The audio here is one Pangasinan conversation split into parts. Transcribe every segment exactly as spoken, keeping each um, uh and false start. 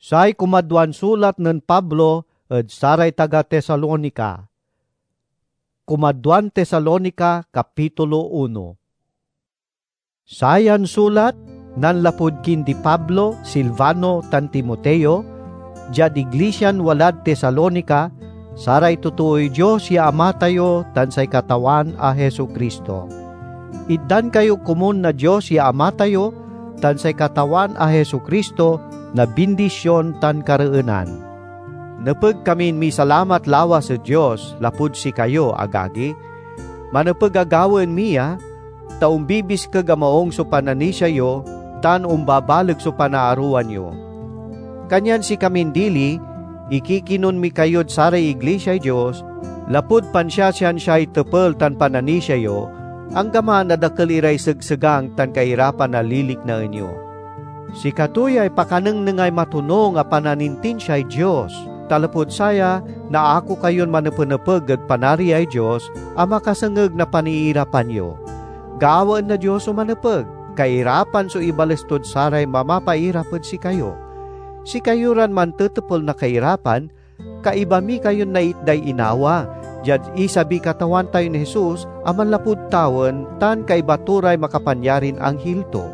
Say kumadwan sulat nen Pablo ed saray taga Tesalonica. Kumadwan Tesalonica, kapitulo uno. Sayan sulat nanlapud kindi Pablo, Silvano, tan Timoteo, diad iglisian walad Tesalonica, saray totooy Dios ya Ama tayo tan say Katawan a Jesu-Cristo. Itdan kayo komun na Dios ya Ama tayo tan say Katawan a Jesu-Cristo na bindision tan kareenan. Nepeg kamin misalamat lawas ed Dios lapud sikayo, agagi. Manepeg a gawaen mi ya, ta ombibiskeg a maung so pananisia yo tan ombabaleg so panaarowan yo. Kanyan sikamin dili, ikikinon mi kayod saray iglisiay Dios, lapud pansiasiansiay tepel tan pananisia yo, anggaman a dakel iray segsegang tan kairapan a liliknaen yo. Sikato yay pakanengnengay matonung a pananintinsiay Dios, ta lapud saya, naako kayon manepenepeg ed Panariay Dios a makasengeg na paniirapan yo. Gawaen na Dios so manepeg, kairapan so ibales tod saray mamapairap ed sikayo. Sikayo ran mantetepel na kairapan, kaiba mi kayon naitday inawa, diad isabiy Katawan tayon Jesus a manlapud tawen tan kaiba to ray makapanyarin anghil to.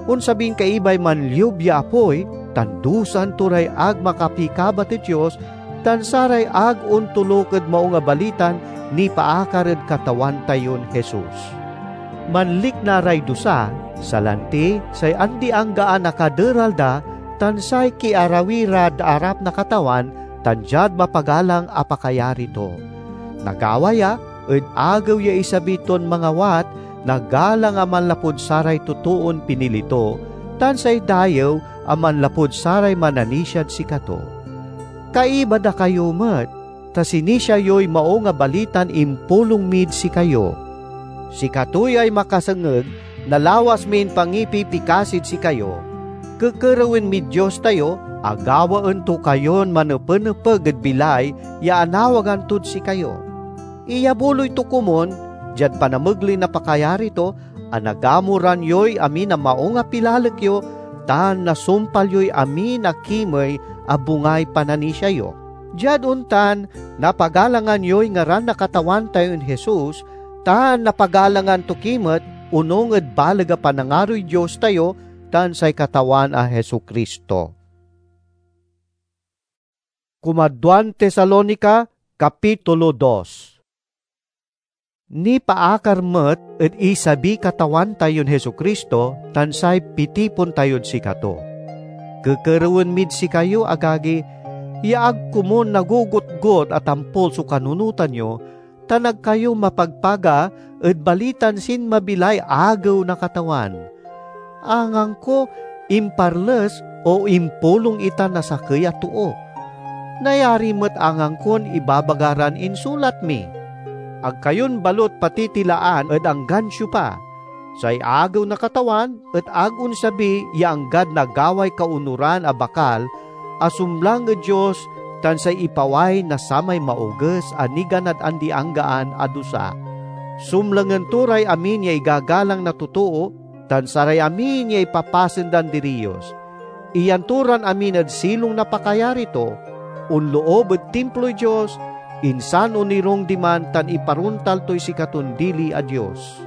Onsabin kaibay manliub ya apoy, tan dusaen to ray ag makapikabat ed Dios, tan saray ag ontoluk ed Maung a Balitan nipaakar ed Katawan tayon Jesus. Manlikna ray dusa, salanti say andi-anggaan a kaderal da, tan say kiarawi rad arap na Katawan, tan diad mapagalang a pakayari to. Nagawa ya ed agew ya isabi ton mangawat na galang a manlapud saray totoon pinili to, tan say dayew a manlapud saray mananisiad sikato. Kaiba da kayo met, ta sinisia yoy Maung a Balitan impulong mid sikayo. Sikato yay makasengeg na lawas min pangipipikasid sikayo. Kekerewen mid Dios tayo a gawaen to kayon manepenepeg ed bilay ya anawagan tod sikayo. Iyabuloy to komun, diad panamegley na pakayari to, a nagamuran yoy amin a maung a pilalek yo, tan nasumpal yoy amin a kimey a bungay pananisia yo. Diad ontan, napagalangan yoy ngaran na Katawan tayon Jesus, tan napagalangan to ki met onung ed baleg a panangaroy Dios tayo tan say Katawan a Jesu-Cristo. Kumadwan Tesalonica, kapitulo dos. Nipaakar met ed isabiy Katawan tayon Jesu-Cristo tan say pitipon tayod sikato. Kekerewen mid sikayo, agagi, ya ag komun nagogotgot a tampol so kanunotan yo, tan ag kayo mapagpaga ed balitan sinmabi lay Agew na Katawan. Angangko imparles o impulong ita na sakey a too. Nayari met angangkon ibabaga ran insulat mi. Ag kayon balut patitilaan ed anggan siopa. Say Agew na Katawan et ag onsabi ya anggad nagaway kaonuran a bakal a sumlang ed Dios tan say ipaway na samay maoges a niganad andi-anggaan a dusa. Sumlangen to ray amin ya igagalang na totoo, tan saray amin ya ipapasen dan diriyos. Iyan to ran amin ed silong na pakayari to, onloob ed Timploy Dios, insan onirung diman tan iparontal toy sikaton dili a Dios.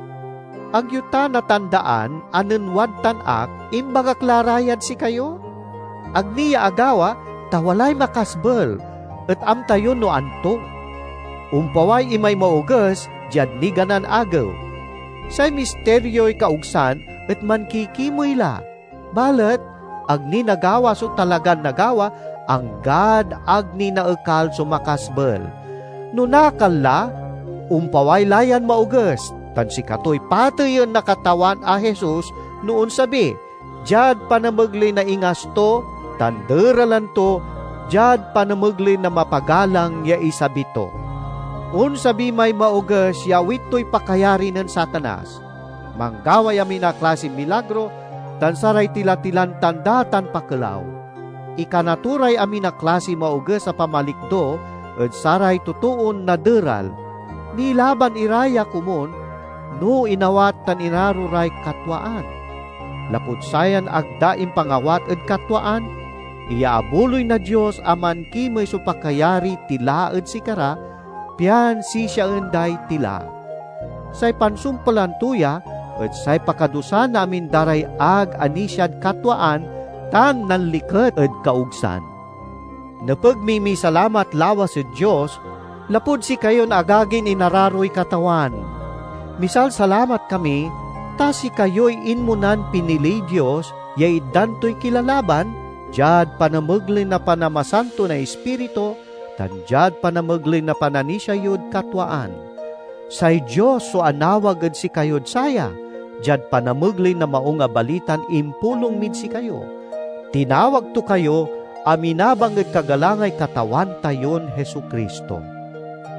Ag yo ta natandaan a nen wadtan ak, imbagak la ra yad sikayo? Ag ni ya agawa, ta walay makasbel, et amta yo no anto. Ompaway imay maoges diad niganan agew. Say misterioy kaogsan et mankikimey la, balet ag ni nagawa so talagan nagawa, anggad ag ni naekal so makasbel. No nakal la, ompaway la yan maoges, tan sikatoy pateyen na Katawan a Jesus no onsabi, diad panamegley na ingas to, tan deralan to diad panamegley na mapagalang ya isabi to. Onsabi may maoges ya awit toy pakayari nen Satanas. Manggaway amin a klasiy milagro tan saray tila-tilan tanda tan pakelaw. Ikana to ray amin a klasiy maoges a pamalikdo ed saray totoon naderal. Nilaban ira ya komun no inawat tan inaro ray katwaan. Lapud sayan ag da impangawat ed katwaan, iyaabuloy na Dios a mankimey so pakayari tila ed sikara, pian sisiaen day tila. Say pansumpelan to ya et say pakadusa na amin da ray ag anisiad katwaan tan nanliket ed kaogsan. Nepeg mi misalamat lawas ed Dios lapud sikayon agagin inararoy Katawan. Misalsalamat kami ta sikayoy inmonan piniliy Dios ya itdan toy kilalaban diad panamegley na panamasanto na Ispiritu tan diad panamegley na pananisia yod katwaan. Say Dios so anawag ed sikayod saya, diad panamegley na Maung a Balitan impulong mid sikayo. Tinawag to kayo a minabang ed kagalangay Katawan tayon Jesu-Cristo.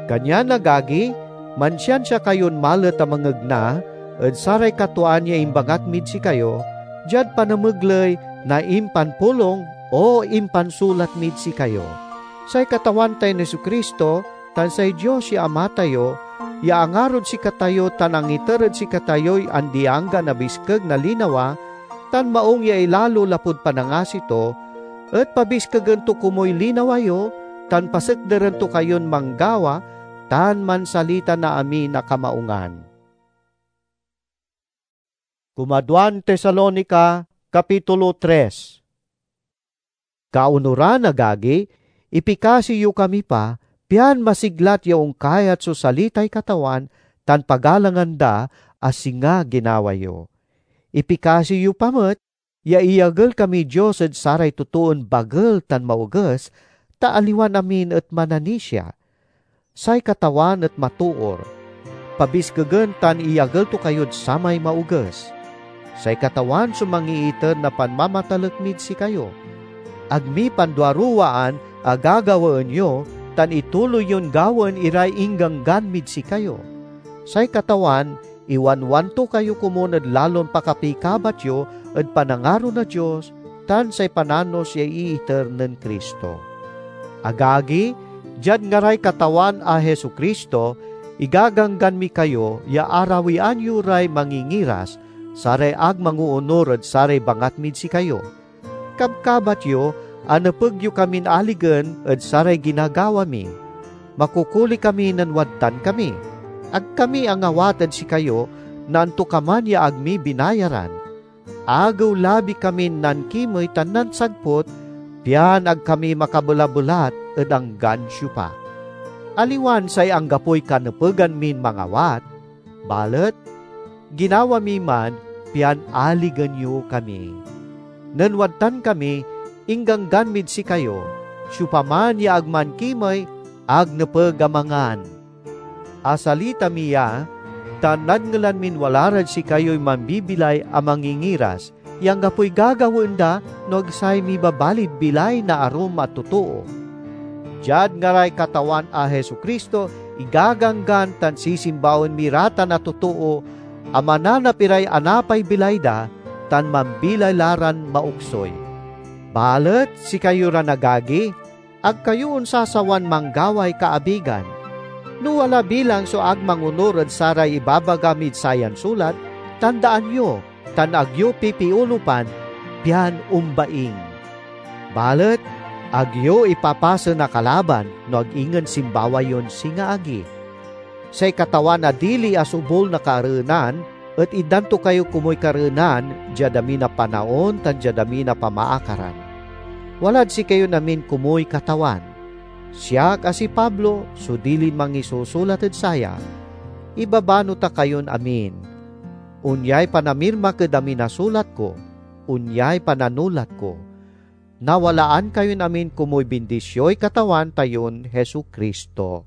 Kanyan, agagi, mansiansia kayon malet a mangegna ed saray katwaan ya imbangat mid sikayo, diad panamegley na impanpulong o impansulat mid sikayo. Say Katawan tayon Jesu-Cristo tan say Dios ya Ama tayo, ya angarod sikatayo tan angiter ed sikatayoy andi-anggan a biskeg na linawa tan maung ya ilalo lapud panangasi to, et pabiskegen to komuy linawa yo tan pasekderen to kayon manggawa tan mansalita na amin a kamaungan. Kumaduan Tesalonica, Kapitulo tres. Kaunoran, agagi, ipikasi yo kami pa, pian masiglat ya onkayat so salitay Katawan tan pagalangan da a singa ginawa yo. Ipikasi yo pa met ya iyagel kamiy Dios ed saray totoon bagel tan maoges, ta aliwan amin et mananisia. Say Katawan et matoor. Pabiskegen tan iyagel to kayod samay maoges. Say Katawan so mangiiter na panmamatalek mid sikayo. Ag mi panduaruwaan a gagawaen yo tan ituloy yon gawaen iray ingganggan mid sikayo. Say Katawan iwanwan to kayo komun ed lalon pakapikabat yo ed panangaro na Dios tan say pananos ya iiter nen Cristo. Agagi, diad ngaray Katawan a Jesu-Cristo, igaganggan mi kayo ya arawian yo ray mangingiras, saray ag mangoonur ed saray bangat mid sikayo. Kabkabat yo a nepeg yo kamin aligen ed saray ginagawa mi. Makukuli kami nen wadtan kami. Ag kami angawat ed sikayo na antokaman ya ag mi binayaran. Agew-labi kamin nankimey tan nansagput, pian ag kami makabelabelat ed anggan siopa. Aliwan say anggapoy kanepegan min mangawat, balet ginawa mi man pian aligen yo kami. Nen wadtan kami, ingganggan mid sikayo, siopaman ya ag mankimey, ag nepeg a mangan. Asalita mi ya, tan nadngelan min wala rad sikayoy mambibilay a mangingiras, ya anggapoy gagawaen da no ag say mibabalid bilay na arum a totoo. Diad ngaray Katawan a Jesu-Cristo, igaganggan tan sisimbawaen mi ratan a totoo a mananap iray anapay bilay da tan mambilay la ran maoksoy. Balet sikayo ran agagi, ag kayo onsasawan manggaway kaabigan. No wala bilang so ag mangonur ed saray ibabaga mid sayan sulat, tandaan yo, tan ag yo pipiolupan, pian ombaing. Balet ag yo ipapasen a kalaban no ag ingen simbawa yon singa agi. Say Katawan a dili asubol na kareenan et itdan to kayo komuy kareenan diad amin a panaon tan diad amin a pamaakaran. Walad sikayon amin komuy Katawan. Siak a si Pablo so dilin mangisusulat ed saya. Ibabano ta kayon amin. Onyay panamirmak ed amin a sulat ko, onyay pananulat ko. Nawalaan kayon amin komuy bindisioy Katawan tayon Jesu-Cristo.